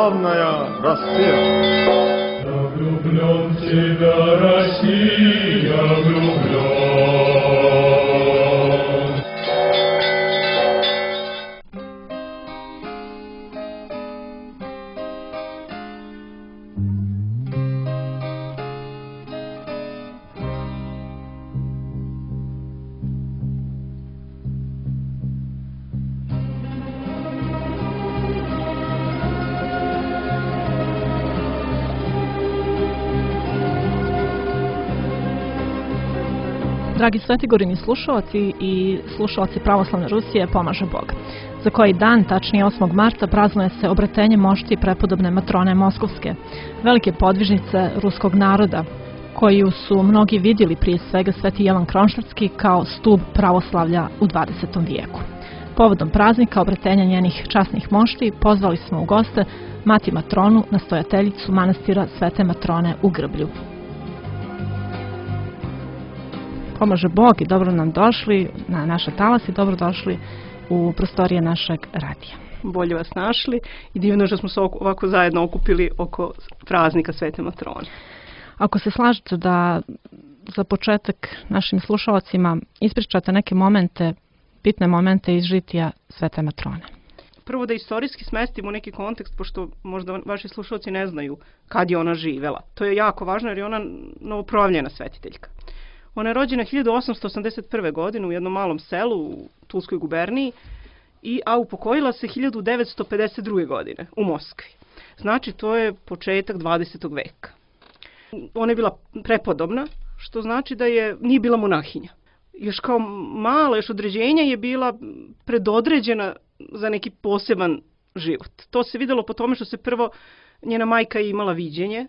славная Россия. Я влюблен в тебя, Россия, влюблен. Dragi Svetigorini slušalci i slušalci Pravoslavne Rusije, pomaže Bog. Za koji dan, tačnije 8. marta, praznuje se obratenje mošti prepodobne matrone Moskovske, velike podvižnice ruskog naroda, koju su mnogi vidjeli prije svega Sveti Jovan Kronštatski kao stub pravoslavlja u 20. vijeku. Povodom praznika obratenja njenih časnih mošti pozvali smo u goste mati matronu, nastojateljicu manastira Svete Matrone u Grblju. Pomaže Bog i dobro nam došli na naše talasi, dobro došli u prostorije našeg radija. Bolje vas našli i divno što smo se ovako zajedno okupili oko praznika Svete Matrone. Ako se slažete da za početak našim slušalcima ispričate neke momente, bitne momente iz žitija Svete Matrone. Prvo da istorijski smestimo neki kontekst, pošto možda vaši slušalci ne znaju kad je ona živela. To je jako važno jer je ona novoprojavljena svetiteljka. Ona je rođena 1881. godine u jednom malom selu u Tulskoj guberniji, a upokojila se 1952. godine u Moskvi. Znači, to je početak 20. veka. Ona je bila prepodobna, što znači da nije bila monahinja. Još kao mala, još određenja je bila predodređena za neki poseban život. To se videlo po tome što se prvo njena majka imala viđenje,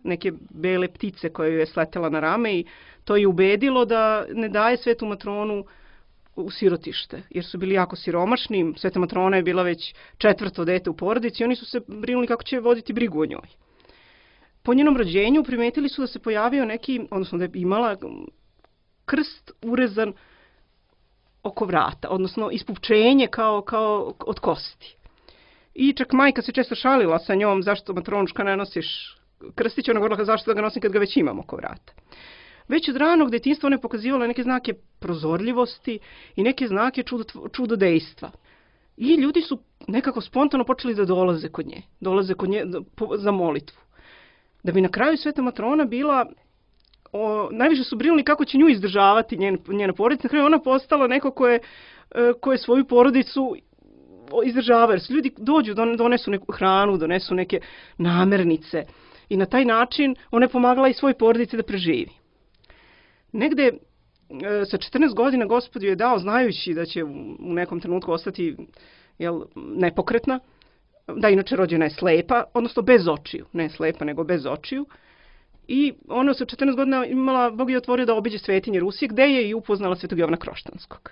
neke bele ptice koje ju je sletela na rame i to je ubedilo da ne daje Svetu Matronu u sirotište, jer su bili jako siromašni. Sveta Matrona je bila već 4. dete u porodici i oni su se brinuli kako će voditi brigu o njoj. Po njenom rođenju primetili su da se pojavio neki, odnosno da je imala krst urezan oko vrata, odnosno ispupčenje kao od kosti. I čak majka se često šalila sa njom, zašto matronuška ne nosiš krstić, ona govorila zašto da ga nosim kad ga već imam oko vrata. Već od ranog detinjstva ona je pokazivala neke znake prozorljivosti i neke znake čudodejstva. I ljudi su nekako spontano počeli da dolaze kod nje za molitvu. Da bi na kraju Sveta Matrona bila, najviše su brinuli kako će nju izdržavati njena porodica. Na kraju ona postala neko ko je svoju porodicu izdržava, jer se ljudi dođu, donesu neku hranu, donesu neke namirnice i na taj način ona je pomagala i svoj porodici da preživi. Negde sa 14 godina Gospod joj je dao, znajući da će u nekom trenutku ostati nepokretna, da inače rođena je slepa, odnosno bez očiju, ne slepa nego bez očiju. I ona sa 14 godina imala, Bog je otvorio da obiđe svetinje Rusije, gde je i upoznala Svetog Jovana Kroštanskog.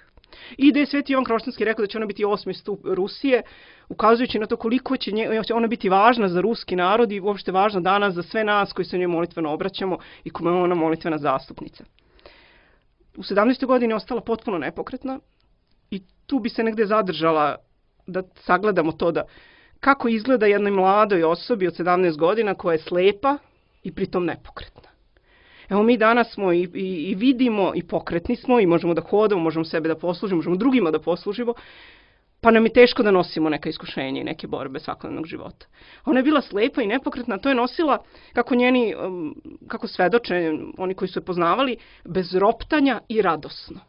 I da je Sveti Jovan Kroštanski rekao da će ona biti 8. stup Rusije, ukazujući na to koliko će ona biti važna za ruski narod i uopšte važna danas za sve nas koji se njoj molitveno obraćamo i kome je ona molitvena zastupnica. U 17. godini je ostala potpuno nepokretna i tu bi se negde zadržala da sagledamo to da kako izgleda jednoj mladoj osobi od 17 godina koja je slepa i pritom nepokretna. Evo mi danas smo i vidimo i pokretni smo i možemo da hodamo, možemo sebe da poslužimo, možemo drugima da poslužimo, pa nam je teško da nosimo neka iskušenja i neke borbe svakodnevnog života. Ona je bila slepa i nepokretna, to je nosila, kako svedoče oni koji su je poznavali, bez roptanja i radosno.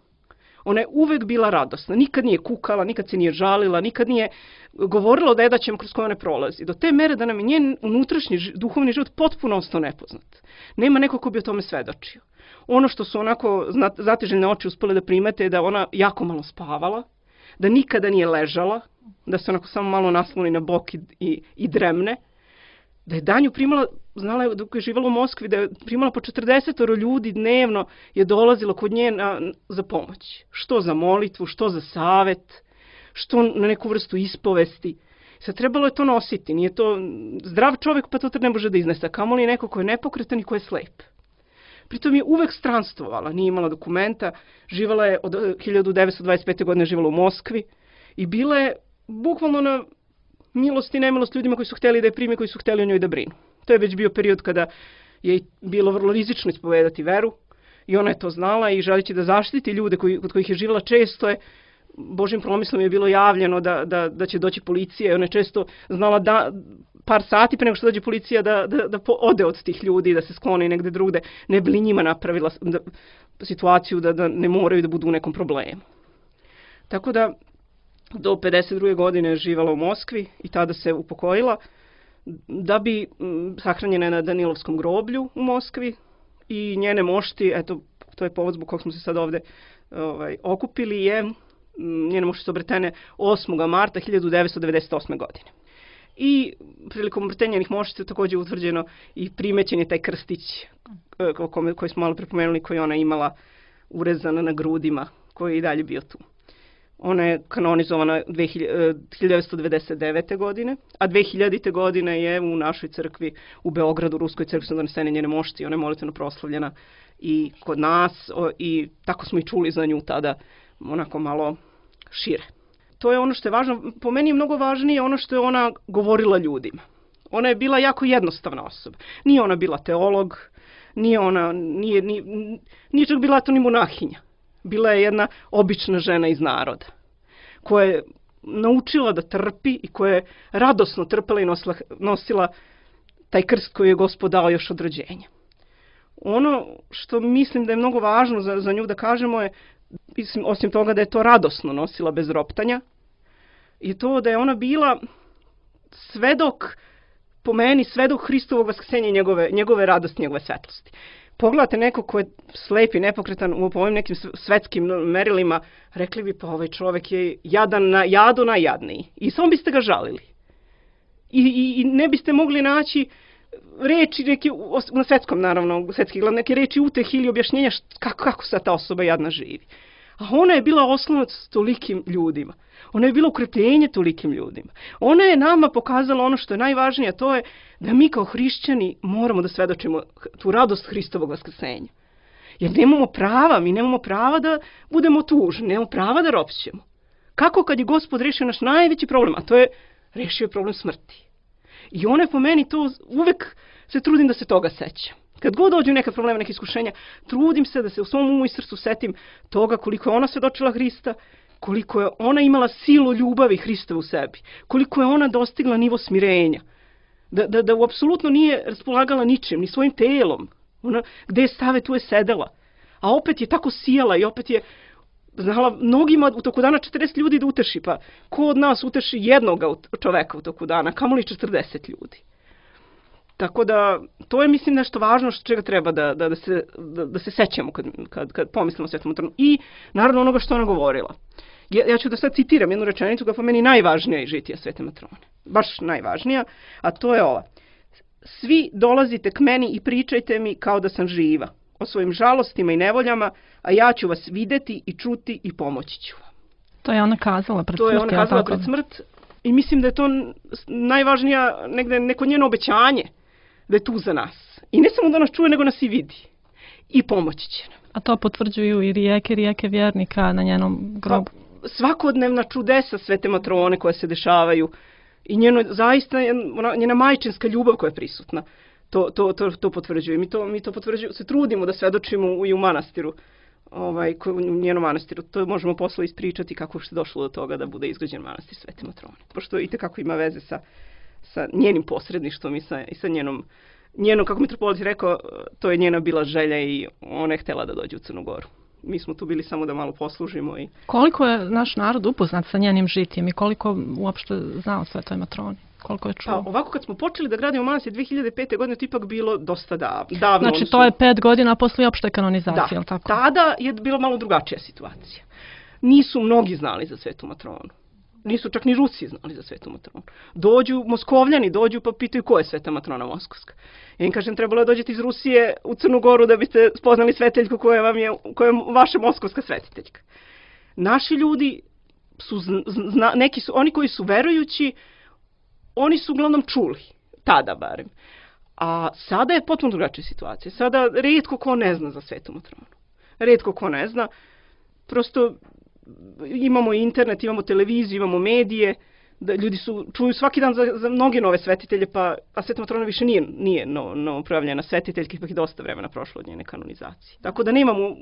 Ona je uvek bila radosna, nikad nije kukala, nikad se nije žalila, nikad nije govorila o nedaćama kroz koje one prolazi. Do te mere da nam je njen unutrašnji duhovni život potpuno ostao nepoznat. Nema neko ko bi o tome svedočio. Ono što su onako zatežene oči uspele da primete je da ona jako malo spavala, da nikada nije ležala, da se onako samo malo nasloni na bok i dremne, da je danju primala, znala je dok je živala u Moskvi, da je primala po 40 ljudi dnevno, je dolazilo kod nje za pomoć. Što za molitvu, što za savet, što na neku vrstu ispovesti. Sad trebalo je to nositi, nije to zdrav čovjek pa to ne može da iznese, kamoli neko ko je nepokretan i ko je slep. Pritom je uvek stranstvovala, nije imala dokumenta, živala je od 1925. godine živala u Moskvi i bila je bukvalno milost i nemilost ljudima koji su htjeli da je prime, koji su htjeli o njoj da brinu. To je već bio period kada je bilo vrlo rizično ispovedati veru i ona je to znala i želeći da zaštiti ljude kod kojih je živjela, često je Božim promislom je bilo javljeno da će doći policija i ona je često znala par sati pre nego što dođe policija da ode od tih ljudi, da se skloni negde drugde, ne bi li njima napravila situaciju da ne moraju da budu u nekom problemu. Tako da do 52. godine je živala u Moskvi i tada se upokojila, da bi sahranjena na Danilovskom groblju u Moskvi i njene mošti, eto, to je povod zbog kog smo se sad ovde okupili, njene mošti su obretene 8. marta 1998. godine. I prilikom obretenja njenih mošti je također utvrđeno i primećen je taj krstić koji smo malo prepomenuli, koji ona imala urezana na grudima, koji je i dalje bio tu. Ona je kanonizovana 1999. godine, a 2000. godine je u našoj crkvi u Beogradu, Ruskoj crkvi, su donesene njene mošti, ona je molitveno proslavljena i kod nas i tako smo i čuli za nju tada onako malo šire. To je ono što je važno, po meni je mnogo važnije ono što je ona govorila ljudima. Ona je bila jako jednostavna osoba. Nije ona bila teolog, nije čak bila to ni monahinja. Bila je jedna obična žena iz naroda, koja je naučila da trpi i koja je radosno trpela i nosila taj krst koji je Gospod dao još od rođenja. Ono što mislim da je mnogo važno za nju da kažemo je, osim toga da je to radosno nosila bez roptanja, je to da je ona bila svedok, po meni, svedok Hristovog vaskrsenja i njegove radosti, njegove svetlosti. Pogledate neko ko je slep i nepokretan u ovim nekim svetskim merilima, rekli bi pa ovaj čovjek je jadu najjadniji. I samo biste ga žalili. I ne biste mogli naći reči neke, na svetskom naravno, svetski glavne, neke reči utehi ili objašnjenja kako sad ta osoba jadna živi. A ona je bila oslonac tolikim ljudima. Ona je bila ukrepljenje tolikim ljudima. Ona je nama pokazala ono što je najvažnije, a to je da mi kao hrišćani moramo da svedočimo tu radost Hristovog vaskrsenja. Jer mi nemamo prava da budemo tužni, nemamo prava da ropćemo. Kako kad je Gospod rešio naš najveći problem, a to je rešio problem smrti. I ona je po meni to, uvek se trudim da se toga sećam. Kad god dođu neka problema, neke iskušenja, trudim se da se u svom umu i srcu setim toga koliko je ona svedočila Hrista, koliko je ona imala silu ljubavi Hrista u sebi, koliko je ona dostigla nivo smirenja, da apsolutno nije raspolagala ničim, ni svojim telom. Ona, gde je stave, tu je sedela. A opet je tako sijala i opet je znala mnogima u toku dana 40 ljudi da uteši, pa ko od nas uteši jednoga čoveka u toku dana, kamoli 40 ljudi. Tako da, to je mislim nešto važno što čega treba da se sećamo kad pomislimo o Svetom Matroni. I naravno onoga što ona govorila. Ja ću da sad citiram jednu rečenicu koja po meni najvažnija iz žitija Svete Matrone. Baš najvažnija, a to je ova. Svi dolazite k meni i pričajte mi kao da sam živa, o svojim žalostima i nevoljama, a ja ću vas videti i čuti i pomoći ću vam. To je ona kazala pred smrt. To je ona kazala pred smrt i mislim da je to najvažnija negde neko njeno obećanje da je tu za nas. I ne samo da nas čuje, nego nas i vidi. I pomoći će nam. A to potvrđuju i rijeke vjernika na njenom grobu. Svakodnevna čudesa Svete Matrone koje se dešavaju i zaista njena majčinska ljubav koja je prisutna. To potvrđuje. Mi to potvrđujemo, se trudimo da svedočimo i u manastiru. U njenom manastiru. To možemo posle ispričati kako je došlo do toga da bude izgrađen manastir Svete Matrone. Pošto itekako ima veze sa njenim posredništvom i sa njenom, kako mitropolit je rekao, to je njena bila želja i ona je htjela da dođe u Crnu Goru. Mi smo tu bili samo da malo poslužimo. Koliko je naš narod upoznat sa njenim žitjem i koliko uopšte zna o Svetoj Matroni? Koliko je čuo? Pa ovako kad smo počeli da gradimo manastir 2005. godine, to ipak bilo dosta davno. Znači to je 5 godina posle opšte kanonizacije, da, tako? Tada je bila malo drugačija situacija. Nisu mnogi znali za Svetu Matronu. Nisu čak ni Rusi znali za Svetu Matronu. Moskovljani dođu pa pitaju ko je Sveta Matrona Moskovska. Ja im kažem, trebalo je dođeti iz Rusije u Crnu Goru da biste spoznali sveteljku koja je vaša moskovska svetiteljka. Naši ljudi su, oni koji su verujući, oni su uglavnom čuli, tada barem. A sada je potpuno drugačija situacija. Sada rijetko ko ne zna za Svetu Matronu. Rijetko ko ne zna. Prosto imamo internet, imamo televiziju, imamo medije, da ljudi čuju svaki dan za mnoge nove svetitelje, a Sveta Matrona više nije novoprojavljena svetiteljka, ipak je dosta vremena prošlo od njene kanonizacije. Tako da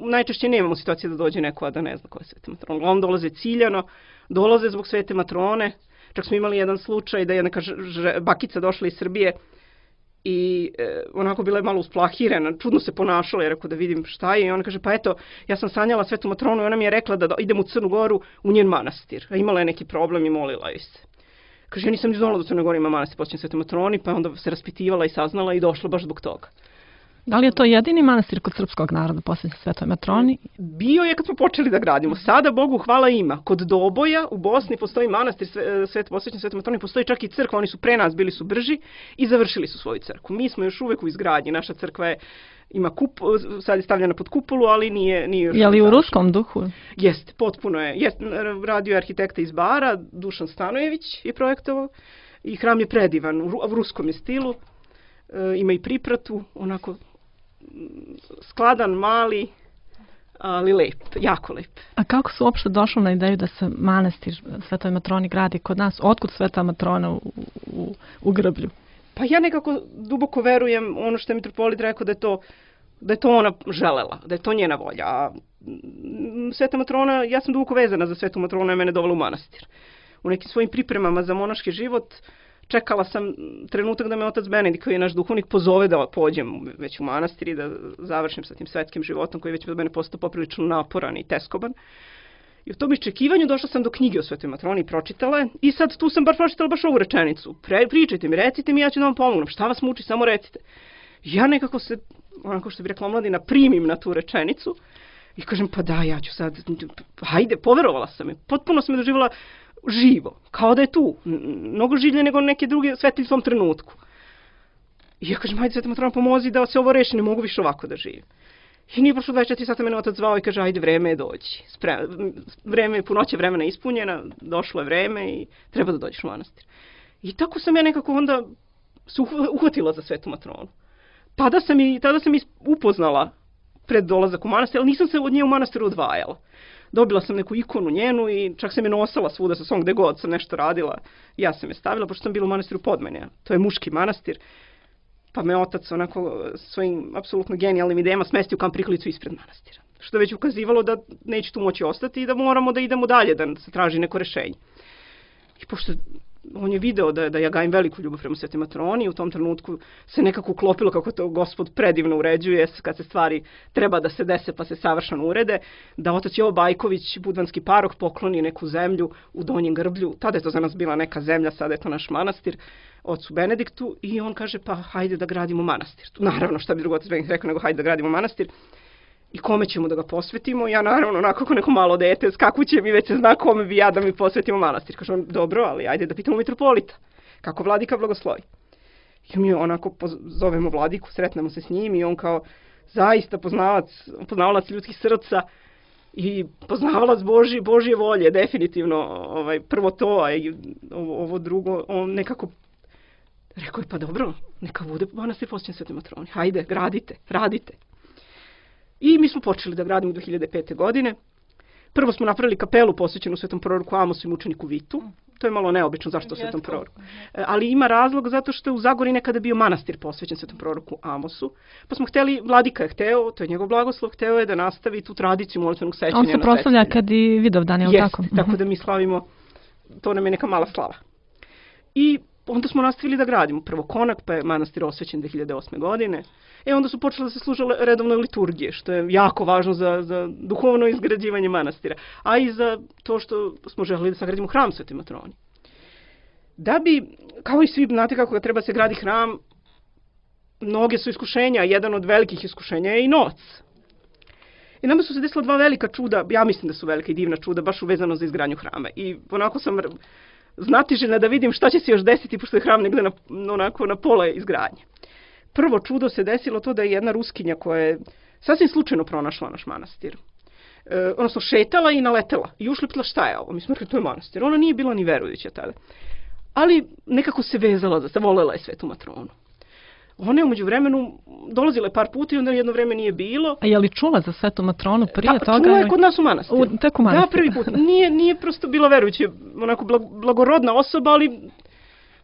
najčešće nemamo situacije da dođe neko, a da ne zna ko je Sveta Matrona. Uglavnom dolaze ciljano, dolaze zbog Svete Matrone. Čak smo imali jedan slučaj da je neka bakica došla iz Srbije i onako bila je malo usplahirena, čudno se ponašala, rekao da vidim šta je, i ona kaže, pa eto, ja sam sanjala Svetu Matronu i ona mi je rekla da idem u Crnu Goru u njen manastir, a imala je neki problem i molila joj se. Kaže, ja nisam ni znala da u Crnoj Gori ima manastir posvećen Svetoj Matroni, pa onda se raspitivala i saznala i došla baš zbog toga. Da li je to jedini manastir kod srpskog naroda posvećen Svetoj Matroni? Bio je kad smo počeli da gradimo. Sada, Bogu hvala, ima. Kod Doboja u Bosni postoji manastir posvećen Svetoj Matroni, postoji čak i crkva, oni su pre nas, bili su brži i završili su svoju crkvu. Mi smo još uvek u izgradnji, naša crkva ima sad je stavljena pod kupolu, ali nije još... Je li u ruskom duhu? Jeste, potpuno je. Radio je arhitekta iz Bara, Dušan Stanojević je projektovao i hram je predivan, u ruskom je stilu, ima i pripratu, onako skladan, mali, ali lep, jako lep. A kako su uopšte došli na ideju da se manastir Svetoj Matroni gradi kod nas? Otkud Sveta Matrona u Grblju? Pa ja nekako duboko verujem ono što je mitropolit rekao da je to ona želela, da je to njena volja. A Sveta Matrona, ja sam duboko vezana za Svetu Matronu, je mene dovela u manastir. U nekim svojim pripremama za monaški život čekala sam trenutak da me otac Benedikt, koji je naš duhovnik, pozove da pođem već u manastir i da završim sa tim svetskim životom koji već od mene postao poprilično naporan i teskoban. I u tom iščekivanju došla sam do knjige o Svetoj Matroni i pročitala je. I sad tu sam pročitala baš ovu rečenicu. Pričajte mi, recite mi, ja ću da vam pomognem. Šta vas muči, samo recite. Ja nekako se, onako što bi rekla omladina, primim na tu rečenicu i kažem, pa da, ja ću sad, hajde, poverovala sam je. Potpuno sam je doživjela živo, kao da je tu. Mnogo življe nego neke druge svetilj u tom trenutku. I ja kažem, hajde Sveta Matrona, pomozi da se ovo reši, ne mogu više ovako da živim. I nije prošlo 24 sata, mene otac zvao i kaže, ajde, vreme je doći. Punoća vremena je ispunjena, došlo je vreme i treba da dođeš u manastir. I tako sam ja nekako onda se uhvatila za Svetu Matronu. Tada sam upoznala pred dolazak u manastir, ali nisam se od nje u manastiru odvajala. Dobila sam neku ikonu njenu i čak sam je nosala svuda sa svom, gde god sam nešto radila. Ja sam je stavila, pošto sam bila u manastiru Podmenja. To je muški manastir. Pa me otac onako svojim apsolutno genijalnim idejama smesti u kamp prikolicu ispred manastira. Što je već ukazivalo da neće tu moći ostati i da moramo da idemo dalje, da se traži neko rešenje. I pošto on je video da ja gajim veliku ljubav prema Svetoj Matroni, u tom trenutku se nekako uklopilo kako to Gospod predivno uređuje, kad se stvari treba da se dese pa se savršeno urede, da otac Jovo Bajković, budvanski parok, pokloni neku zemlju u Donjem Grblju. Tada je to za nas bila neka zemlja, sada je to naš manastir, ocu Benediktu, i on kaže, pa hajde da gradimo manastir. Naravno, šta bi drugo otac Benedikt rekao nego hajde da gradimo manastir. I kome ćemo da ga posvetimo? Ja naravno, onako kako neko malo dete, skakuće mi, već se zna kome bi ja da mi posvetimo manastir. Kaže on, dobro, ali ajde da pitamo mitropolita. Kako vladika blagoslovi? I mi onako zovemo vladiku, sretnemo se s njim i on kao zaista poznavalac ljudskih srca i poznavalac Božje volje, definitivno. Prvo to, a ovo drugo, on nekako rekao je, pa dobro, neka bude manastir posvećen Svetoj Matroni. Hajde, gradite, radite. I mi smo počeli da gradimo 2005. godine. Prvo smo napravili kapelu posvećenu Svetom proroku Amosu i mučeniku Vitu. To je malo neobično, zašto Svetom proroku. Ali ima razlog zato što je u Zagori nekada bio manastir posvećen Svetom proroku Amosu. Pa smo hteli, vladika je hteo, to je njegov blagoslov, hteo je da nastavi tu tradiciju molitvenog sećanja na svetitelja. On se proslavlja kad i Vidovdan, je li tako? Jeste, tako da mi slavimo, to nam je neka mala slava. I onda smo nastavili da gradimo. Prvo Konak, pa je manastir osvećen 2008. godine. Onda su počele da se služe redovne liturgije, što je jako važno za duhovno izgrađivanje manastira, a i za to što smo želeli da sagradimo hram Svetoj Matroni. Da bi, kao i svi, znate kako treba se gradi hram, mnoge su iskušenja, jedan od velikih iskušenja je i novac. I nama su se desila dva velika čuda, ja mislim da su velika i divna čuda, baš uvezano za izgradnju hrama. I onako sam znatiželjna da vidim šta će se još desiti, pošto je hram negde na pola izgradnje. Prvo čudo se desilo to da je jedna Ruskinja koja je sasvim slučajno pronašla naš manastir. Odnosno šetala i naletela i ušlipila šta je ovo. Mi smo rekli, to je manastir. Ona nije bila ni verujuća tada. Ali nekako se vezala, volela je Svetu Matronu. One umeđu vremenu dolazile par puta i onda jedno vreme nije bilo. A je li čula za Svetu Matronu prije toga? Čula je kod nas u manastiru. Tek u manastiru. Da, prvi put. Nije prosto bila verujuća, onako blagorodna osoba, ali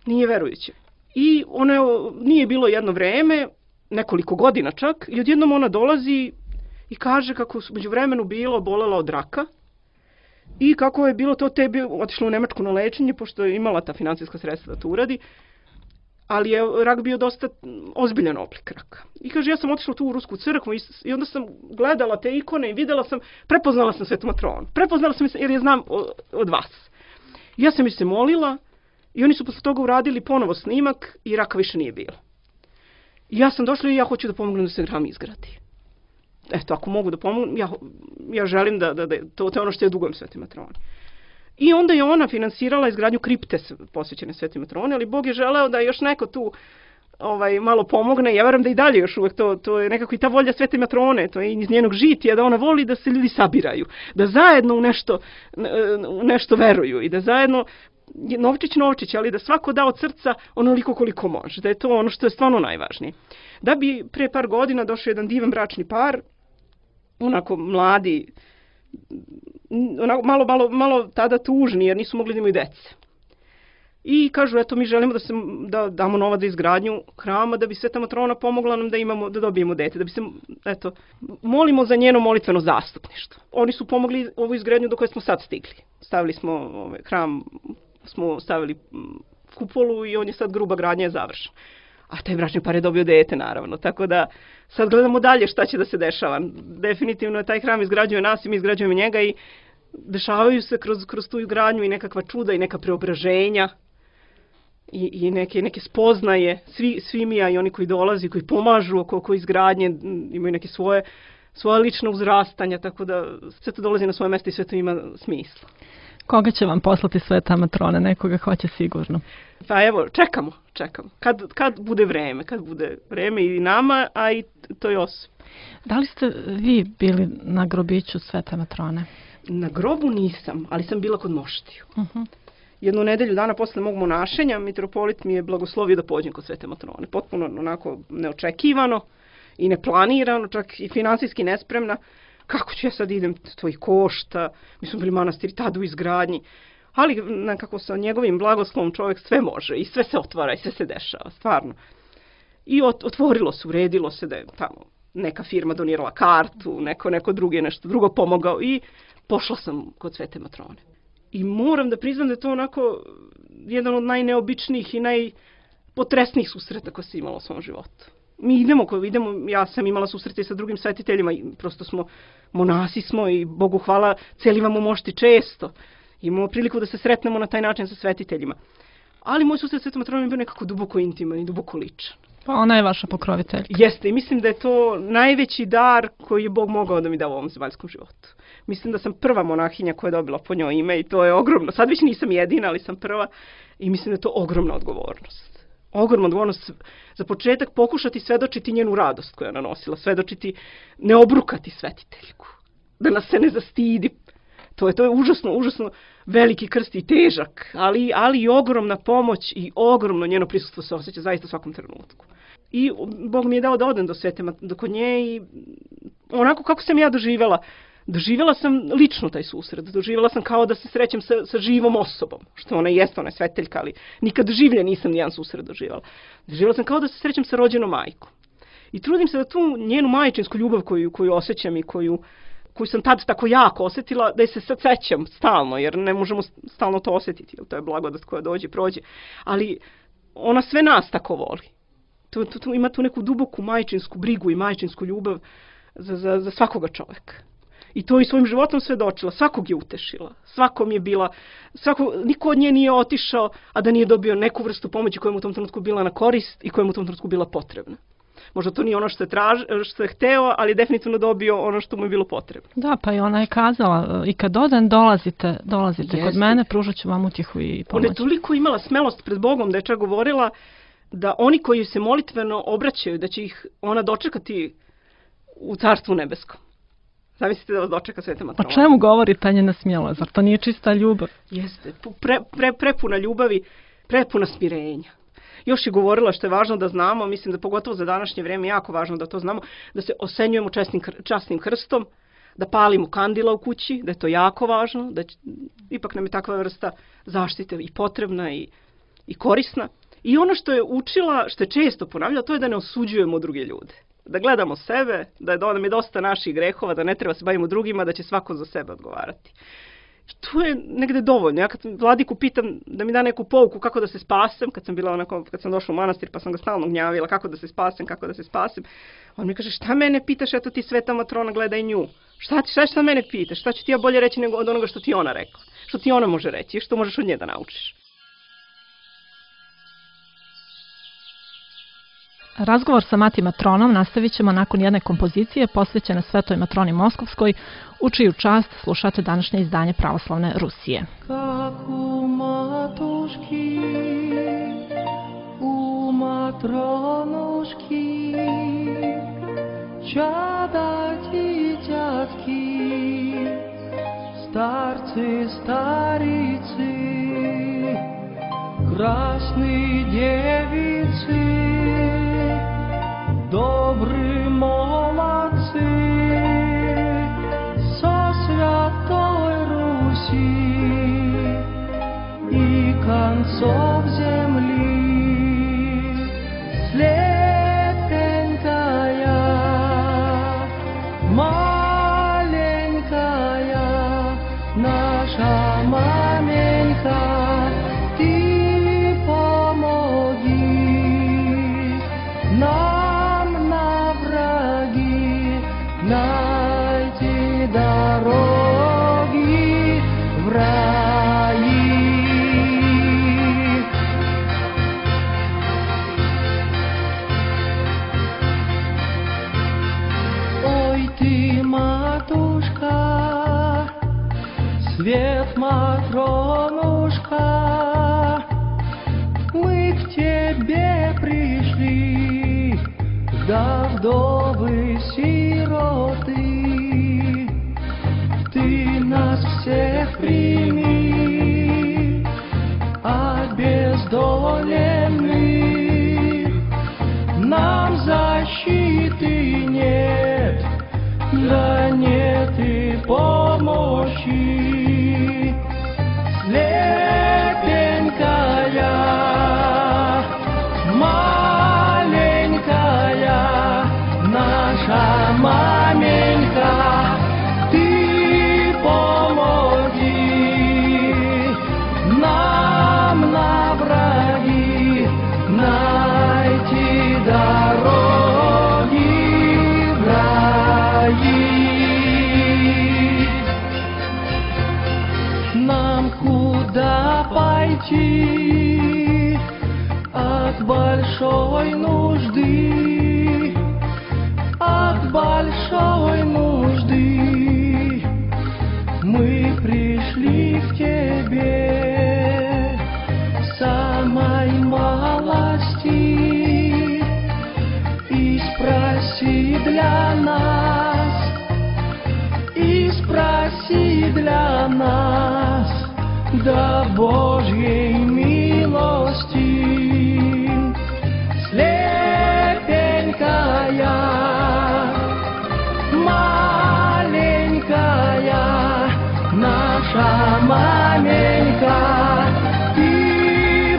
nije verujuća. I ona nije bilo jedno vreme, nekoliko godina čak, i odjednom ona dolazi i kaže kako su među vremenu bolela od raka i kako je bilo to tebi otišla u Nemačku na lečenje, pošto je imala ta financijska sredstva da to uradi, ali je rak bio dosta ozbiljan oblik raka. I kaže, ja sam otišla tu u Rusku crkvu i onda sam gledala te ikone i videla sam, prepoznala sam Svetu Matronu. Prepoznala sam jer je znam od vas. I ja sam mi se molila i oni su posle toga uradili ponovo snimak i raka više nije bilo. I ja sam došla i ja hoću da pomognem da se hram izgradi. Eto, ako mogu da pomognem, ja želim da to je ono što ja dugujem Svetoj Matroni. I onda je ona finansirala izgradnju kripte posvećene Svetoj Matroni, ali Bog je želeo da još neko tu malo pomogne. Ja verujem da i dalje još uvek to je nekako i ta volja Svete Matrone, to je iz njenog žitija, da ona voli da se ljudi sabiraju, da zajedno u nešto veruju i da zajedno novčić, ali da svako da od srca onoliko koliko može, da je to ono što je stvarno najvažnije. Da bi pre par godina došao jedan divan bračni par, onako mladi, onako malo tada tužni jer nisu mogli da imaju dece. I kažu, eto, mi želimo da damo novac za izgradnju hrama, da bi Sveta Matrona pomogla nam da dobijemo dete, da bi se, eto, molimo za njeno molitveno zastupništvo. Oni su pomogli ovu izgradnju do koje smo sad stigli. Stavili smo hram, smo stavili kupolu i on je sad, gruba gradnja je završena. A taj bračni par je dobio dete, naravno. Tako da sad gledamo dalje šta će da se dešava. Definitivno taj hram izgrađuje nas i mi izgrađujemo njega i dešavaju se kroz tu izgradnju i nekakva čuda i neka preobraženja i neke spoznaje. Svi mi, a i oni koji dolazi, koji pomažu oko izgradnje, imaju neke svoje lične uzrastanja, tako da sve to dolazi na svoje mesto i sve to ima smisla. Koga će vam poslati Sveta Matrona? Nekoga hoće sigurno. Pa evo, čekamo. Kad bude vreme i nama, a i toj osobi. Da li ste vi bili na grobiću Svete Matrone? Na grobu nisam, ali sam bila kod moštiju. Jednu nedelju dana posle mog monašenja, mitropolit mi je blagoslovio da pođem kod Svete Matrone. Potpuno onako neočekivano i neplanirano, čak i finansijski nespremna. Kako ću ja sad idem, to i košta, mi smo bili manastiri tada u izgradnji, ali nekako sa njegovim blagoslovom čovjek sve može i sve se otvara i sve se dešava, stvarno. I otvorilo se, uredilo se da je tamo neka firma donirala kartu, neko drugi nešto drugo pomogao i pošla sam kod Svete Matrone. I moram da priznam da je to onako jedan od najneobičnijih i najpotresnijih susreta koje sam imala u svom životu. Mi idemo, ja sam imala susrete sa drugim svetiteljima i prosto monasi smo i Bogu hvala, celivamo mošti često. Imamo priliku da se sretnemo na taj način sa svetiteljima. Ali moj susret sa Svetom Matronom je bio nekako duboko intiman i duboko ličan. Pa ona je vaša pokroviteljka. Jeste i mislim da je to najveći dar koji je Bog mogao da mi da u ovom zemaljskom životu. Mislim da sam prva monahinja koja je dobila po njoj ime i to je ogromno. Sad već nisam jedina, ali sam prva i mislim da je to ogromna odgovornost. Ogromna odgovornost za početak pokušati svedočiti njenu radost koju je ona nosila, svedočiti, ne obrukati svetiteljku, da nas se ne zastidi. To je užasno veliki krst i težak, ali i ogromna pomoć i ogromno njeno prisustvo se osjeća zaista u svakom trenutku. I Bog mi je dao da odem do kod nje i onako kako sam ja doživjela sam lično taj susret, doživjela sam kao da se srećem sa živom osobom, što ona jeste, ona je sveteljka, ali nikad življe nisam nijedan susret doživjela. Doživjela sam kao da se srećem sa rođenom majkom. I trudim se da tu njenu majčinsku ljubav koju osjećam i koju sam tad tako jako osjetila, da je se sad sećam stalno, jer ne možemo stalno to osjetiti, jer to je blagodat koja dođe i prođe. Ali ona sve nas tako voli. Ima tu neku duboku majčinsku brigu i majčinsku ljubav za svakoga čovjeka. I to i svojim životom svedočila, svakog je utešila, svakom je bila, niko od nje nije otišao, a da nije dobio neku vrstu pomoći koja mu u tom trenutku bila na korist i koja mu u tom trenutku bila potrebna. Možda to nije ono što je hteo, ali definitivno dobio ono što mu je bilo potrebno. Da, pa i ona je kazala, i kad odem dolazite kod mene, pružat ću vam utjehu i pomoć. Ona je toliko imala smelost pred Bogom da je čak govorila da oni koji se molitveno obraćaju, da će ih ona dočekati u Carstvu nebeskom. Zamislite da vas dočeka Sveta Matrona. O čemu govori ta njena smjelost? Zar to nije čista ljubav? Jeste, prepuna ljubavi, prepuna smirenja. još je govorila što je važno da znamo, mislim da pogotovo za današnje vrijeme je jako važno da to znamo, da se osenjujemo časnim krstom, da palimo kandila u kući, da je to jako važno, da ipak nam je takva vrsta zaštite i potrebna i korisna. I ono što je učila, što je često ponavljala, to je da ne osuđujemo druge ljude. Da gledamo sebe, da nam je dosta naših grehova, da ne treba se bavimo drugima, da će svako za sebe odgovarati. I to je negde dovoljno. Ja kad Vladiku pitam da mi da neku pouku kako da se spasem, kad sam došla u manastir pa sam ga stalno gnjavila kako da se spasem, on mi kaže šta mene pitaš, eto ti sveta matrona, gledaj nju. Šta mene pitaš, šta ću ti ja bolje reći nego od onoga što ti ona rekla, što ti ona može reći i što možeš od nje da naučiš. Razgovor sa Mati Matronom nastavit ćemo nakon jedne kompozicije posvećene Svetoj Matroni Moskovskoj, u čiju čast slušate današnje izdanje Pravoslavne Rusije. Kako matuški, u Matronuški, čada dитятки, starci, starici, krasni djevici, dobri молодцы, со Святой Руси и концов земли, слепенькая, маленькая наша маменька, ты помоги нам найти дороги в раи. Ой, ты, матушка, свет Матронушка, мы к тебе пришли, да вдовы сироты, ты нас всех прими, обездоленных, нам защиты нет, да нет и помощи, слепенькая, маленькая наша маменька, ты помоги нам на враги найти дороги в раи. Нам куда пойти от большой нужды, от большой нужды мы пришли к тебе самой малости и спроси для нас, да Божьей милости, слепенькая, маленькая наша маменька, ты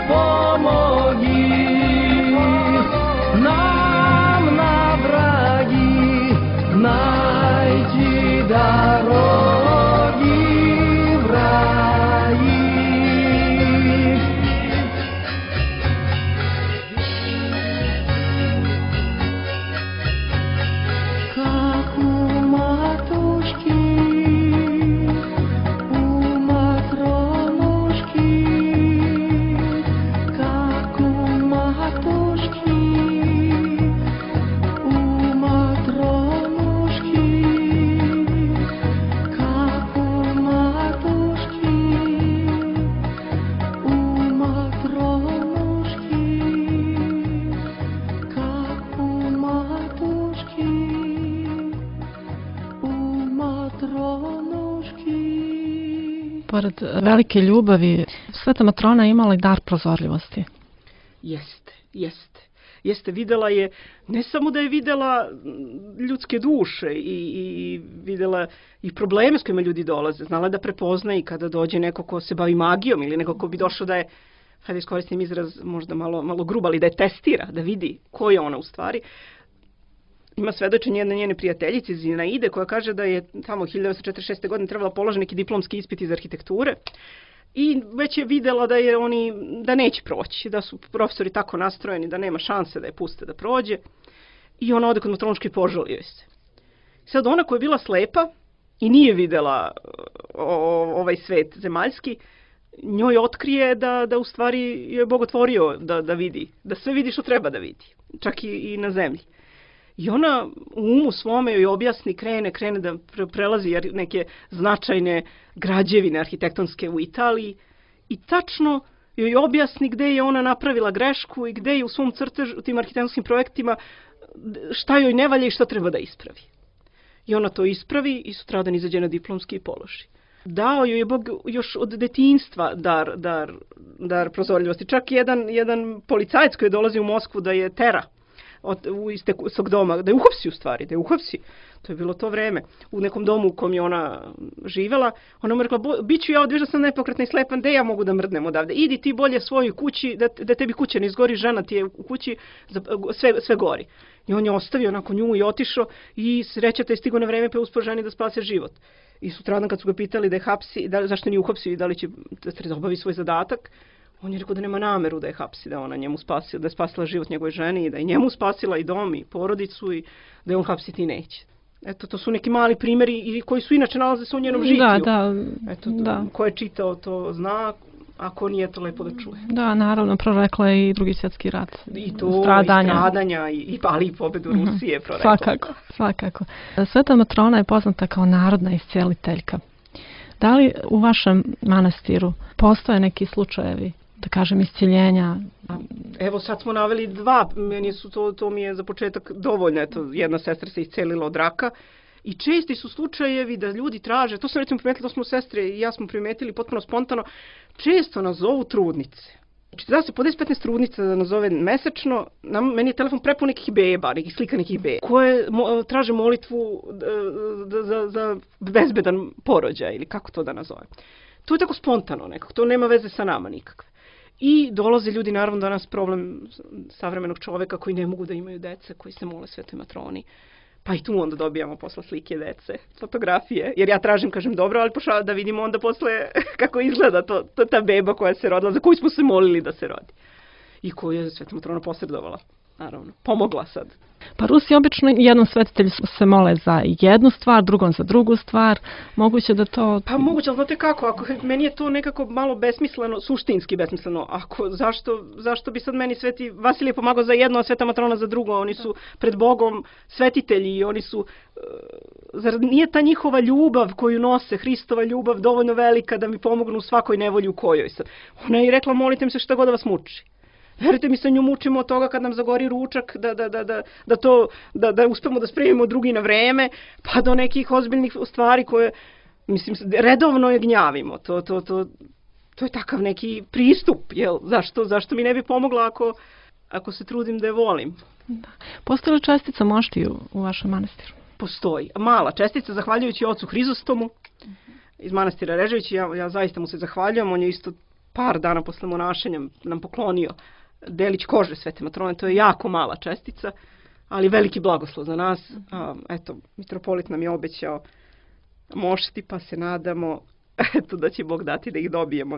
помоги нам на враги найти дороги в раи. Как у матушки, у Матронушки, как у матушки, у Матронушки, как у матушки, у Матронушки, как у матушки, у Матронушки. Pored velike ljubavi, Sveta Matrona imala i dar prozorljivosti. Jeste, videla je, ne samo da je videla ljudske duše i videla i probleme s kojima ljudi dolaze. Znala da prepozna i kada dođe neko ko se bavi magijom ili neko ko bi došao da je, hajde iskoristim izraz možda malo grub, ali da je testira, da vidi ko je ona u stvari. Ima svedočenje jedne njene prijateljice Zinaide koja kaže da je tamo 1946. godine trebala položiti neki diplomski ispit iz arhitekture i već je videla da neće proći, da su profesori tako nastrojeni da nema šanse da je puste da prođe i ona ode kod meteorološke i požali joj se. Sad ona koja je bila slepa i nije videla ovaj svet zemaljski, njoj otkrije da u stvari je Bog otvorio da vidi, da sve vidi što treba da vidi, čak i na zemlji. I ona u umu svome joj objasni, krene da prelazi neke značajne građevine arhitektonske u Italiji i tačno joj objasni gde je ona napravila grešku i gde je u svom crtežu, u tim arhitektonskim projektima, šta joj ne valja i šta treba da ispravi. I ona to ispravi i sutradan izađe na diplomski i položi. Dao joj je Bog još od detinjstva dar prozorljivosti. Čak jedan policajac koji dolazi u Moskvu da je tera iz tog doma, da je uhapsi u stvari, da je uhapsi. To je bilo to vreme. U nekom domu u kom je ona živela, ona mu rekla, bit ću ja odviš da sam nepokretna i slepa, gde ja mogu da mrdnem odavde? Idi ti bolje svojoj kući, da tebi kuća ne izgori, žena ti je u kući, sve gori. I on je ostavio nakon nju i otišao i srećata je stigo na vreme pa je uspio ženi da spase život. I sutradan kad su ga pitali da je hapsi, zašto nije uhapsio i da li će da obavi svoj zadatak, on je rekao da nema nameru da je hapsi, da ona njemu spasila, da je spasila život njegove ženi i da je njemu spasila i dom i porodicu i da je on hapsiti neće. Eto, to su neki mali primjeri koji su inače nalaze se u njenom žitiju. Da. Ko je čitao to zna, a ko nije to lepo da čuje. Da, naravno, prorekla je i Drugi svjetski rat. I to, stradanja, ali i pobedu Rusije prorekla. Svakako. Sveta Matrona je poznata kao narodna iscijeliteljka. Da li u vašem manastiru postoje neki slučajevi, da kažem, isciljenja? Evo sad smo naveli dva, to mi je za početak dovoljno, eto, jedna sestra se iscelila od raka i česti su slučajevi da ljudi traže, to sam recimo primetila, to smo sestre i ja smo primetili potpuno spontano, često nas zovu trudnice. Znači da se po 10-15 trudnica da nazove mesečno, meni je telefon prepun nekih beba, nekih slika nekih beba, koje traže molitvu za bezbedan porođaj ili kako to da nazove. To je tako spontano nekako, to nema veze sa nama nikakve. I dolaze ljudi, naravno danas problem savremenog čoveka koji ne mogu da imaju dece, koji se mole Svetoj Matroni. Pa i tu onda dobijamo posle slike dece, fotografije, jer ja tražim, kažem, dobro, ali pošao da vidimo onda posle kako izgleda ta beba koja se rodila, za koju smo se molili da se rodi. I koju je Sveta Matrona posredovala, naravno, pomogla sad. Pa Rusi obično jednom svetitelju se mole za jednu stvar, drugom za drugu stvar. Moguće da to... Pa moguće, ali znate kako, meni je to nekako malo besmisleno, suštinski besmisleno. Zašto bi sad meni Sveti Vasilije pomagao za jedno, a Sveta Matrona za drugo? Oni su pred Bogom svetitelji i oni su... Zar nije ta njihova ljubav koju nose, Hristova ljubav, dovoljno velika da mi pomognu u svakoj nevolji u kojoj sad? Ona je rekla, molite mi se šta god da vas muči. Verujte mi, sa nju mučimo od toga kad nam zagori ručak, da uspemo da spremimo drugi na vreme, pa do nekih ozbiljnih stvari koje, mislim, redovno je gnjavimo. To je takav neki pristup, jel? Zašto mi ne bi pomogla ako se trudim da je volim? Da. Postoji li čestica moštiju u vašem manastiru? Postoji. Mala čestica, zahvaljujući ocu Hrizostomu iz manastira Režević, ja zaista mu se zahvaljujem, on je isto par dana posle monašenja nam poklonio delić kože Svete Matrone, to je jako mala čestica, ali veliki blagoslov za nas. Eto, mitropolit nam je obećao mošti, pa se nadamo da će Bog dati da ih dobijemo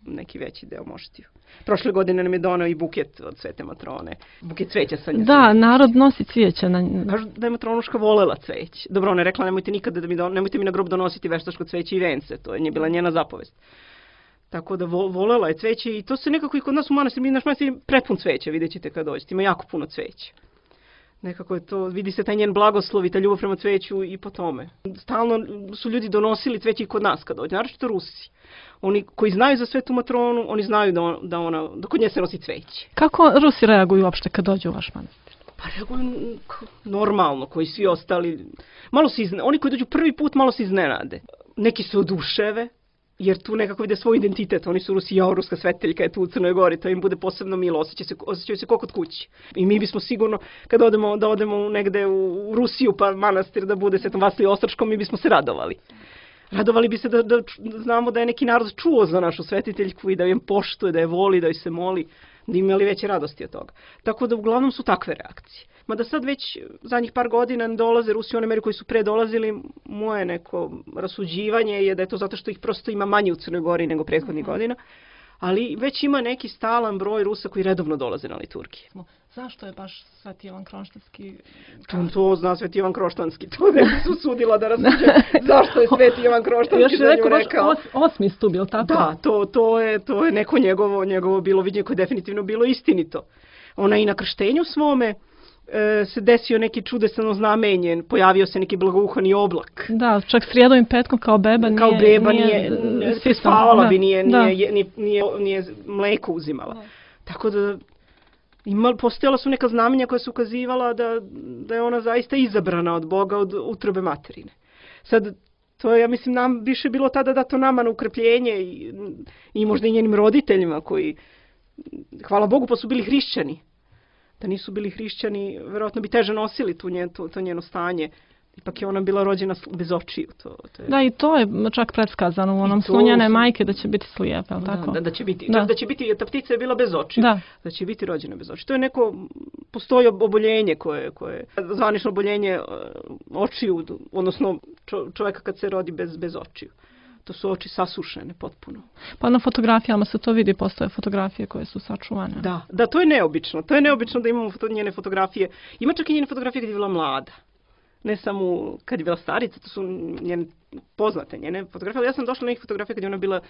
neki veći deo moštiju. Prošle godine nam je donao i buket od Svete Matrone, buket cveća sa njim. Da, narod nosi cvijeća. Kažu da je Matronuška volela cveć. Dobro, ona je rekla, nemojte mi na grob donositi veštačko cveće i vence, to je bila njena zapovest. Tako da volela je cveće i to se nekako i kod nas u manastiru, naš manastir je prepun cveća, vidjet ćete kad dođete, ima jako puno cveća. Nekako je to, vidi se taj njen blagoslov i ta ljubav prema cveću i po tome. Stalno su ljudi donosili cveće i kod nas kad dođe, naročito Rusi. Oni koji znaju za Svetu Matronu, oni znaju da kod nje se nosi cveće. Kako Rusi reaguju uopšte kad dođu u vaš manastir? Pa reaguju normalno, koji svi ostali. Oni koji dođu prvi put malo se iznenade. Neki se oduševe, jer tu nekako vide svoj identitet. Oni su Rusi, ruska sveteljka je tu u Crnoj Gori, to im bude posebno milo, osjećaju se kao kod kući. I mi bismo sigurno, kad odemo negde u Rusiju, pa manastir da bude Svetom Vasiliju Ostračkom, mi bismo se radovali. Radovali bi se da znamo da je neki narod čuo za našu svetiteljku i da je poštuje, da je voli, da joj se moli, da imali veće radosti od toga. Tako da uglavnom su takve reakcije. Mada sad već zadnjih par godina dolaze Rusi u one meri koji su pre dolazili, moje neko rasuđivanje je da je to zato što ih prosto ima manje u Crnoj Gori nego prethodnih godina, ali već ima neki stalan broj Rusa koji redovno dolaze na liturgije. Zašto je baš Sveti Ivan Kronštanski? To zna Sveti Ivan Kroštanski, to ne bi se usudila da rasuđe zašto je Sveti Ivan Kroštanski za nju rekao. Osmi stup, je li tako? Da, to je neko njegovo bilo viđenje koje je definitivno bilo istinito. Ona i na krštenju svome se desio neki čudesan znamenje, pojavio se neki blagouhani oblak. Da, čak srijedom i petkom kao beba nije se spavala bi, nije mleko uzimala. Tako da postojala su neka znamenja koja su ukazivala da je ona zaista izabrana od Boga, od utrobe materine. Sad, to je, ja mislim, nam više bilo tada dato nama na ukrepljenje i možda i njenim roditeljima koji, hvala Bogu, pa su bili hrišćani. Da nisu bili hrišćani, verovatno bi teže nosili to njeno stanje. Ipak je ona bila rođena bez očiju. Da, i to je čak predskazano u onom snu njene majke da će biti slijepa, tako? Da će biti. Da će biti, ta ptica je bila bez očiju. Da će biti rođena bez očiju. To je neko, postoji oboljenje koje zvanično oboljenje očiju, odnosno čovjeka kad se rodi bez očiju. To su oči sasušene potpuno. Pa na fotografijama se to vidi, postoje fotografije koje su sačuvane. Da, to je neobično. To je neobično da imamo njene fotografije. Ima čak i njene fotografije kad je bila mlada. Ne samo kad je bila starica, to su njene poznate njene fotografije, ali ja sam došla na njih fotografije kad je ona bila,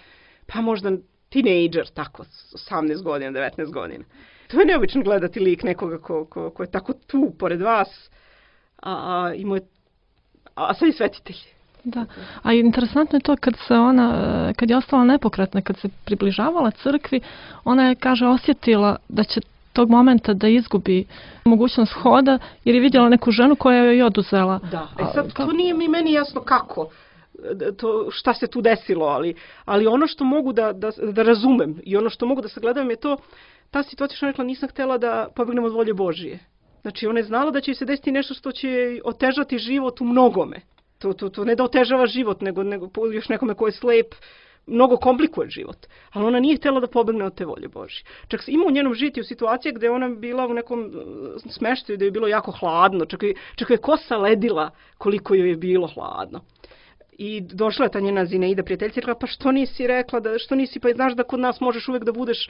pa možda tinejdžer, tako, 18 godina, 19 godina. To je neobično gledati lik nekoga ko je tako tu, pored vas, a sad je svetitelj. Da, a interesantno je to kad je ostala nepokretna, kad se približavala crkvi, ona je, kaže, osjetila da će tog momenta da izgubi mogućnost hoda, jer je vidjela neku ženu koja joj je oduzela. Da, sad to nije meni jasno kako, šta se tu desilo, ali ono što mogu da razumem i ono što mogu da sagledam je to, ta situacija što rekla, nisam htjela da pobegnem od volje Božije. Znači ona je znala da će se desiti nešto što će otežati život u mnogome. To ne da otežava život, nego još nekome ko je slep, mnogo komplikuje život. Ali ona nije htjela da pobegne od te volje Božje. Čak ima u njenom žitiju situacije gdje ona bila u nekom smeštaju gdje je bilo jako hladno. Čak je kosa ledila koliko joj je bilo hladno. I došla je ta njena Zineida prijateljica i rekla, pa što nisi rekla, što nisi, pa znaš da kod nas možeš uvijek da budeš,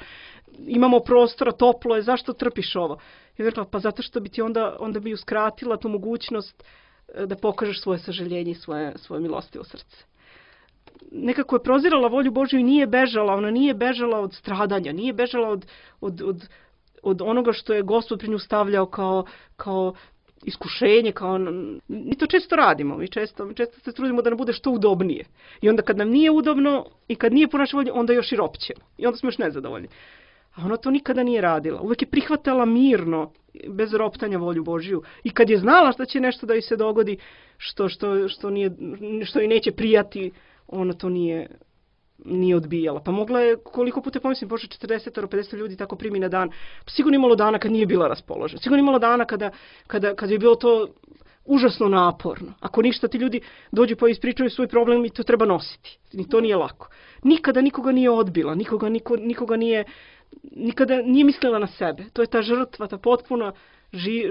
imamo prostora, toplo je, zašto trpiš ovo? I rekla, pa zato što bi ti onda bi uskratila tu mogućnost da pokažeš svoje sažaljenje i svoje milostivo srce. Nekako je prozirala volju Božju i nije bežala, ona nije bežala od stradanja, nije bežala od onoga što je Gospod pri nju stavljao kao iskušenje, mi to često radimo, mi često se trudimo da nam bude što udobnije. I onda kad nam nije udobno i kad nije po našoj volji, onda još i ropćemo. I onda smo još nezadovoljni. A ona to nikada nije radila. Uvijek je prihvatala mirno, bez roptanja volju Božju. I kad je znala da će nešto da joj se dogodi, što joj neće prijati, ona to nije odbijala. Pa mogla je, koliko puta pomislim, Bože, 40-50 ljudi tako primi na dan. Pa sigurno imalo dana kad nije bila raspoložena. Sigurno imalo dana kada je bilo to užasno naporno. Ako ništa, ti ljudi dođu pa ispričaju svoj problem i to treba nositi. I to nije lako. Nikada nikoga nije odbila, nikada nije mislila na sebe. To je ta žrtva, ta potpuna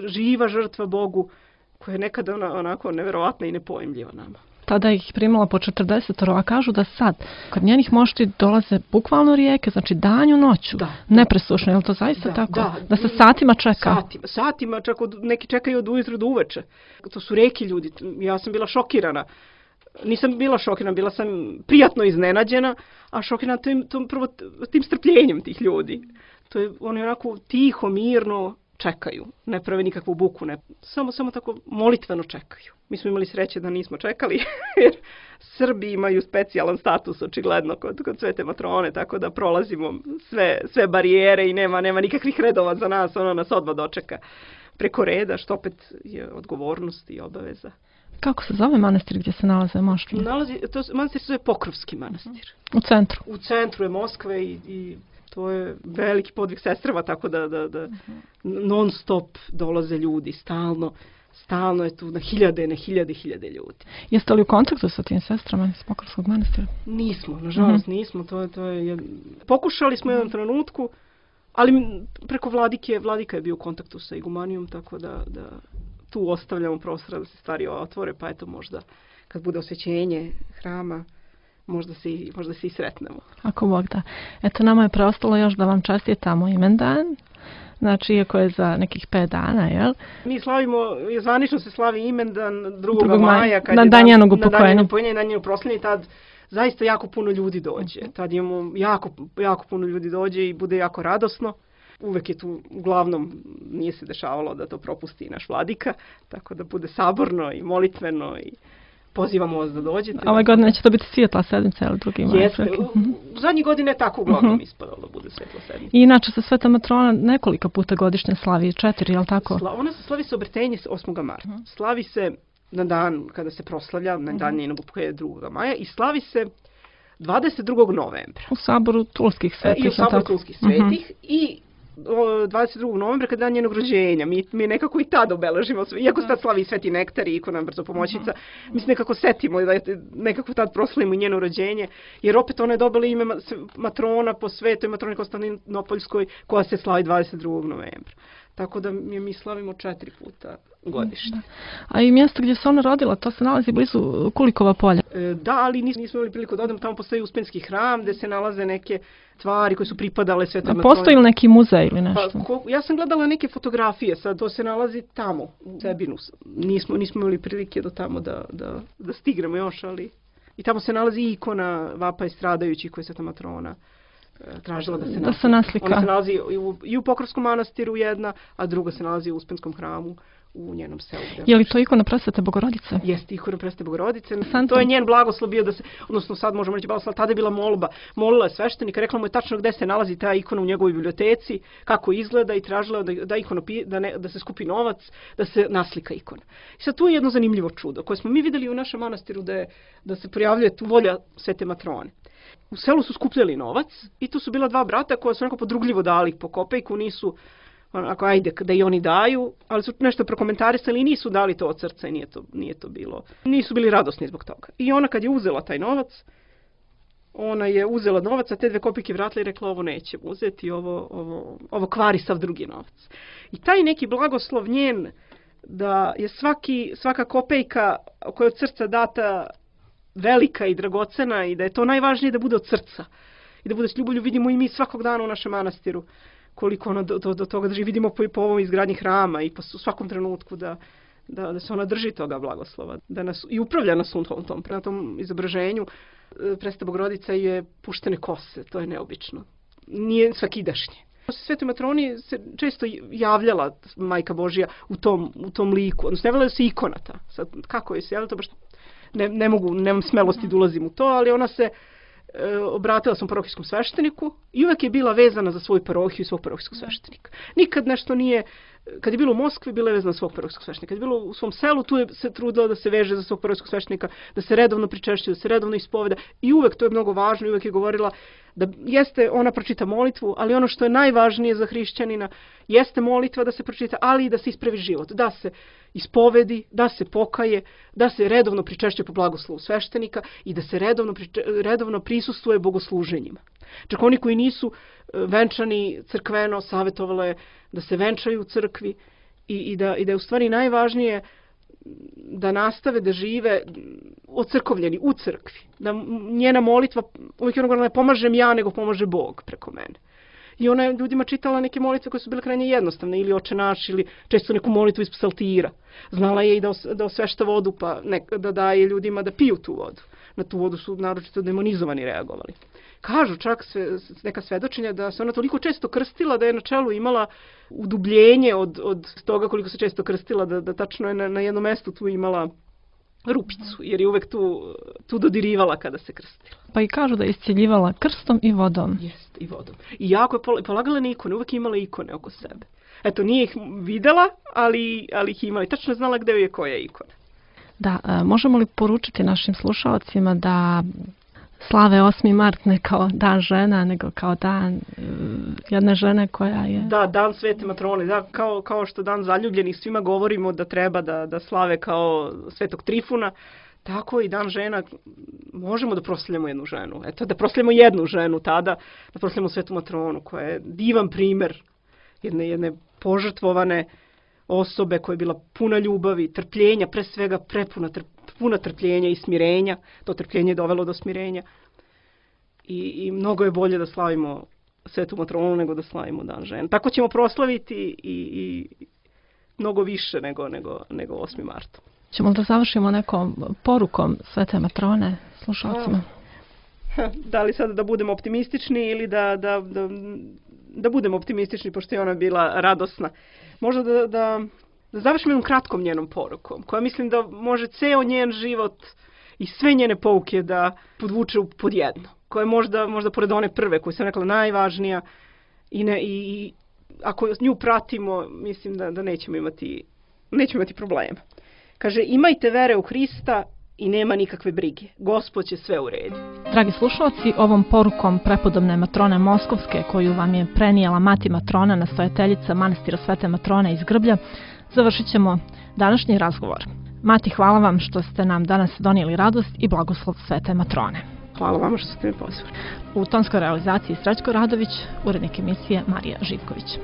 živa žrtva Bogu, koja je nekada onako neverovatna i nepojmljiva nama. Tada ih primala po 40, a kažu da sad, kad njenih mošti dolaze bukvalno rijeke, znači danju noću, nepresušno, je li to zaista tako? Da se satima čeka? Satima, čak neki čekaju od ujutru do uveče. To su reki ljudi, ja sam bila šokirana. Nisam bila šokirana, bila sam prijatno iznenađena, a šokirana tim strpljenjem tih ljudi. To je, oni onako tiho, mirno čekaju, ne prave nikakvu buku, samo tako molitveno čekaju. Mi smo imali sreće da nismo čekali, jer Srbi imaju specijalan status, očigledno, kod Svete Matrone, tako da prolazimo sve barijere i nema nikakvih redova za nas, ona nas odmah dočeka preko reda, što opet je odgovornost i obaveza. Kako se zove manastir gdje se nalaze mošti? Manastir se zove Pokrovski manastir. U centru. U centru je Moskve i to je veliki podvig sestrava, tako da non stop dolaze ljudi, stalno je tu na hiljade ljudi. Jeste li u kontaktu sa tim sestrama iz Pokrovskog manastira? Nismo, nažalost nismo. Pokušali smo jedan trenutku, ali preko vladika je bio u kontaktu sa igumanijom, tako da tu ostavljamo prostora da se stvari otvore, pa eto možda kad bude osvećenje hrama, možda se i sretnemo. Ako Bog da. Eto, nama je preostalo još da vam čestitamo imendan. Znači, iako je za nekih 5 dana, jel? Mi slavimo, zvanično se slavi imendan 2. maja, kad na dan njenog upokojenja. Na dan njenog proslavljenja, tad zaista jako puno ljudi dođe. Tad imamo jako puno ljudi dođe i bude jako radosno. Uvek je tu, uglavnom, nije se dešavalo da to propusti naš vladika, tako da bude saborno i molitveno i pozivamo vas da dođete. Ove godine će to biti svjetla sedmica ili drugi maj? Jeste. U zadnjih godina je tako uglavnom ispadalo da bude svjetla sedmica. I inače se Sveta Matrona nekoliko puta godišnje slavi, 4, je li tako? Ona se slavi se obretenje 8. marta. Slavi se na dan kada se proslavlja, na dan njenog upokojenja 2. maja i slavi se 22. novembra. U saboru Tulskih svetih. I u saboru Tulskih svetih i 22. novembra kada je dan njenog rođenja. Mi nekako i tad obeležimo, iako se tad slavi Sveti Nektar i ikona Brzo pomoćica, mi se nekako setimo da nekako tad proslavimo i njeno rođenje, jer opet ona je dobila ime matrona po Svetoj matroni Konstantinopoljskoj, koja se slavi 22. novembra. Tako da mi slavimo 4 puta godišnje. A i mjesto gdje se ona rodila, to se nalazi blizu Kulikova polja? Da, ali nismo imali priliku da odemo. Tamo postoji Uspenski hram gdje se nalaze neke tvari koje su pripadale Svetoj matroni. Postoji li neki muzej ili nešto? Ja sam gledala neke fotografije, sad to se nalazi tamo, u Sebinu. Nismo imali prilike do tamo da stignemo još, ali i tamo se nalazi ikona Vapa i stradajućih koje je Sveta matrona tražila da se naslika. Ona se nalazi i u Pokrovskom manastiru jedna, a druga se nalazi u Uspenskom hramu u njenom selu. Je li to ikona Presvete Bogorodice? Jeste ikona Presvete Bogorodice. To je njen blagoslov bio da se, odnosno sad možemo reći blagoslov, tada je bila molba. Molila je sveštenika, rekla mu je tačno gde se nalazi ta ikona u njegovoj biblioteci, kako izgleda i tražila da se skupi novac, da se naslika ikona. I sad tu je jedno zanimljivo čudo koje smo mi videli u našem manastiru da se pojavljuje tu volja Svete matrone. U selu su skupljali novac i tu su bila 2 brata koja su nekako podrugljivo dali po kopejku, nisu, onako, ajde, da i oni daju, ali su nešto prokomentarisali i nisu dali to od srca i nije to bilo, nisu bili radosni zbog toga. I ona kad je uzela taj novac, ona je uzela novac, a te 2 kopejke vratila i rekla ovo neće uzeti, ovo kvari sav drugi novac. I taj neki blagoslov njen, da je svaka kopejka koja je od srca data velika i dragocena i da je to najvažnije da bude od srca i da bude s ljubavlju, vidimo i mi svakog dana u našem manastiru koliko ona do toga drži, vidimo po ovom izgradnji hrama i po svakom trenutku da se ona drži toga blagoslova, da nas i upravlja nas prema tom izobraženju. Presveta Bogorodica je puštene kose, to je neobično, nije svakidašnje. Svetoj matroni se često javljala Majka Božja u tom liku, odnosno javljala se ikona ta. Sad, kako je se javljala, to baš nemam smelosti da ulazim u to, ali ona se obratila sam parohijskom svešteniku i uvek je bila vezana za svoju parohiju i svog parohijskog sveštenika. Nikad nešto nije, kad je bilo u Moskvi, bila je vezana za svog parohijskog sveštenika. Kad je bilo u svom selu, tu je se trudila da se veže za svog parohijskog sveštenika, da se redovno pričešćuje, da se redovno ispoveda i uvek, to je mnogo važno, i uvek je govorila da jeste, ona pročita molitvu, ali ono što je najvažnije za hrišćanina jeste molitva da se pročita, ali i da se ispravi život, da se ispovedi, da se pokaje, da se redovno pričešćuje po blagoslovu sveštenika i da se redovno prisustvuje bogosluženjima. Čak oni koji nisu venčani crkveno, savjetovale da se venčaju u crkvi i da je u stvari najvažnije da nastave da žive ocrkovljeni u crkvi. Da njena molitva, uvijek je ona govorila, ne pomažem ja, nego pomaže Bog preko mene. I ona je ljudima čitala neke molitve koje su bile krajnje jednostavne, ili Oče naš, ili često neku molitvu iz psaltira. Znala je i da osvešta vodu, pa da daje ljudima da piju tu vodu. Na tu vodu su naročito demonizovani reagovali. Kažu čak neka svedočenja da se ona toliko često krstila da je na čelu imala udubljenje od toga koliko se često krstila, da tačno je na jednom mjestu tu imala rupicu, jer je uvek tu dodirivala kada se krstila. Pa i kažu da je iscjeljivala krstom i vodom. Jest, i vodom. I jako je polagala na ikone, uvek je imala ikone oko sebe. Eto, nije ih videla, ali ih imala i tačno znala gde je koja ikona. Da, možemo li poručiti našim slušalcima da slave 8. mart ne kao dan žena, nego kao dan jedne žene koja je... Da, dan Svete Matrone, da, kao što dan zaljubljenih svima govorimo da treba da slave kao Svetog Trifuna, tako i dan žena možemo da proslavljamo jednu ženu. Eto, da proslavljamo jednu ženu tada, da proslavljamo Svetu Matronu, koja je divan primer jedne požrtvovane osobe koja je bila puna ljubavi, trpljenja, pre svega puna trpljenja i smirenja. To trpljenje je dovelo do smirenja. I mnogo je bolje da slavimo Svetu Matronu nego da slavimo dan žena. Tako ćemo proslaviti i mnogo više nego 8. marta. Ćemo da završimo nekom porukom Svete Matrone slušalcima? Da li sada da budemo optimistični ili da budemo optimistični, pošto je ona bila radosna. Možda da završimo jednom kratkom njenom porukom, koja mislim da može ceo njen život i sve njene pouke da podvuče pod jedno. Koja je možda pored one prve, koju sam rekla najvažnija i ako nju pratimo, mislim da nećemo imati problema. Kaže, imajte vere u Hrista i nema nikakve brige. Gospod će sve urediti. Dragi slušalci, ovom porukom prepodobne Matrone Moskovske, koju vam je prenijela mati Matrona, nastojateljica manastira Svete Matrone iz Grblja, završit ćemo današnji razgovor. Mati, hvala vam što ste nam danas donijeli radost i blagoslov Svete Matrone. Hvala vam što ste me pozvali. U tonskoj realizaciji Srećko Radović, urednik emisije Marija Živković.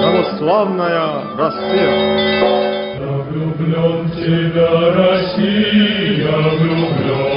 Православная Россия. Я влюблен в тебя, Россия, влюблен.